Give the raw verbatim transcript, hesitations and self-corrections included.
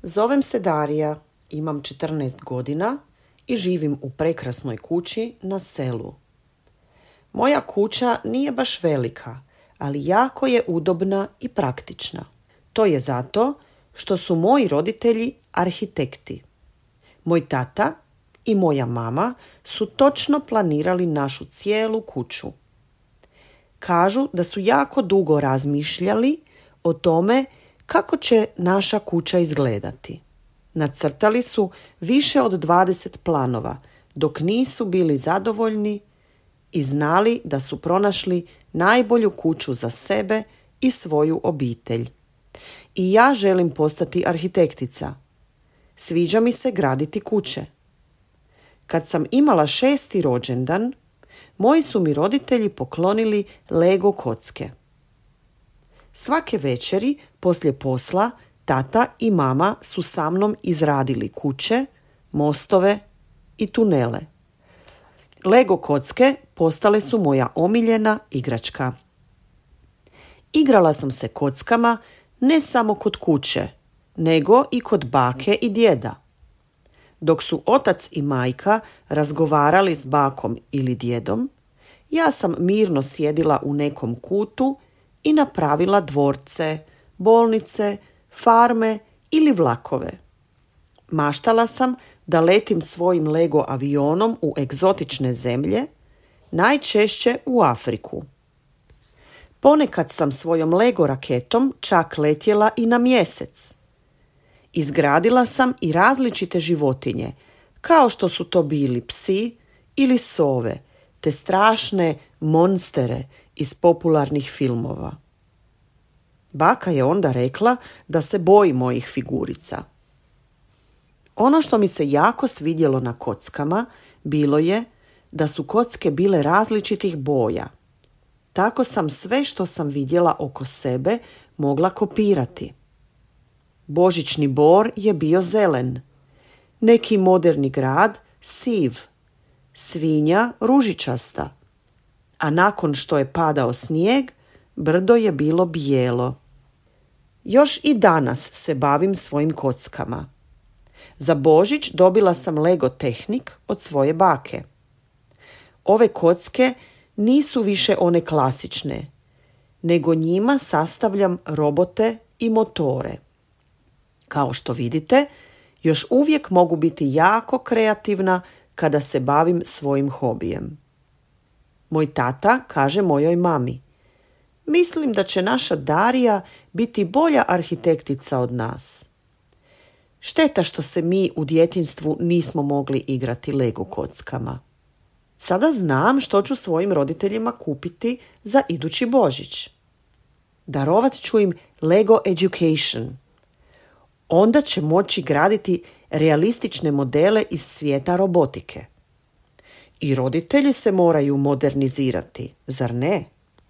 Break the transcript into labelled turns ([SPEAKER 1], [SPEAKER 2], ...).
[SPEAKER 1] Zovem se Darija, imam četrnaest godina i živim u prekrasnoj kući na selu. Moja kuća nije baš velika, ali jako je udobna i praktična. To je zato što su moji roditelji arhitekti. Moj tata i moja mama su točno planirali našu cijelu kuću. Kažu da su jako dugo razmišljali o tome kako će naša kuća izgledati. Nacrtali su više od dvadeset planova, dok nisu bili zadovoljni i znali da su pronašli najbolju kuću za sebe i svoju obitelj. I ja želim postati arhitektica. Sviđa mi se graditi kuće. Kad sam imala šesti rođendan, moji su mi roditelji poklonili Lego kocke. Svake večeri poslije posla tata i mama su sa mnom izradili kuće, mostove i tunele. Lego kocke postale su moja omiljena igračka. Igrala sam se kockama ne samo kod kuće, nego i kod bake i djeda. Dok su otac i majka razgovarali s bakom ili djedom, ja sam mirno sjedila u nekom kutu i napravila dvorce, bolnice, farme ili vlakove. Maštala sam da letim svojim Lego avionom u egzotične zemlje, najčešće u Afriku. Ponekad sam svojom Lego raketom čak letjela i na mjesec. Izgradila sam i različite životinje, kao što su to bili psi ili sove, te strašne monstere iz popularnih filmova. Baka je onda rekla da se boji mojih figurica. Ono što mi se jako svidjelo na kockama bilo je da su kocke bile različitih boja. Tako sam sve što sam vidjela oko sebe mogla kopirati. Božićni bor je bio zelen, neki moderni grad siv, svinja ružičasta, a nakon što je padao snijeg, brdo je bilo bijelo. Još i danas se bavim svojim kockama. Za Božić dobila sam Lego Tehnik od svoje bake. Ove kocke nisu više one klasične, nego njima sastavljam robote i motore. Kao što vidite, još uvijek mogu biti jako kreativna kada se bavim svojim hobijem. Moj tata kaže mojoj mami: mislim da će naša Darija biti bolja arhitektica od nas. Šteta što se mi u djetinjstvu nismo mogli igrati Lego kockama. Sada znam što ću svojim roditeljima kupiti za idući Božić. Darovat ću im Lego Education. Onda će moći graditi realistične modele iz svijeta robotike. I roditelji se moraju modernizirati, zar ne?